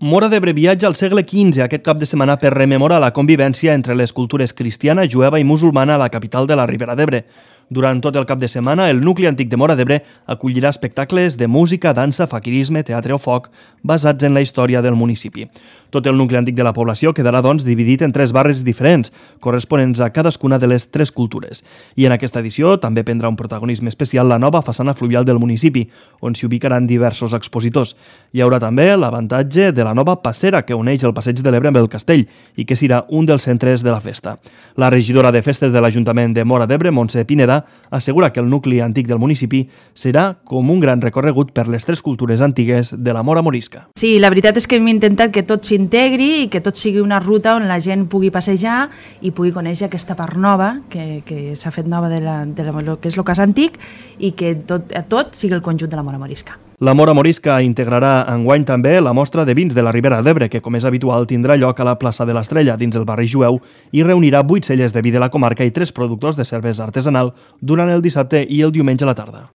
Móra d'Ebre viatja al segle XV aquest cap de setmana per rememorar la convivència entre les cultures cristiana, jueva i musulmana a la capital de la Ribera d'Ebre. Durant tot el cap de setmana, el nucli antic de Móra d'Ebre acollirà espectacles de música, dansa, faquirisme, teatre o foc basats en la història del municipi. Tot el nucli antic de la població quedarà, doncs, dividit en 3 barris diferents, corresponents a cadascuna de les 3 cultures. I en aquesta edició també prendrà un protagonisme especial la nova façana fluvial del municipi, on s'hi ubicaran diversos expositors. Hi haurà també l'avantatge de la nova passera que uneix el Passeig de l'Ebre amb el castell i que serà un dels centres de la festa. La regidora de festes de l'Ajuntament de Móra d'Ebre, Montse Pineda, assegura que el nucli antic del municipi serà com un gran recorregut per les 3 cultures antigues de la Mora Morisca. Sí, la veritat és que hem intentat que tot s'integri i que tot sigui una ruta on la gent pugui passejar i pugui conèixer aquesta part nova que s'ha fet nova de lo que és el cas antic i que tot sigui el conjunt de la Mora Morisca. La Mora Morisca integrarà enguany també la mostra de vins de la Ribera d'Ebre, que, com és habitual, tindrà lloc a la plaça de l'Estrella, dins el barri jueu, i reunirà 8 celles de vi de la comarca i 3 productors de cervesa artesanal durant el dissabte i el diumenge a la tarda.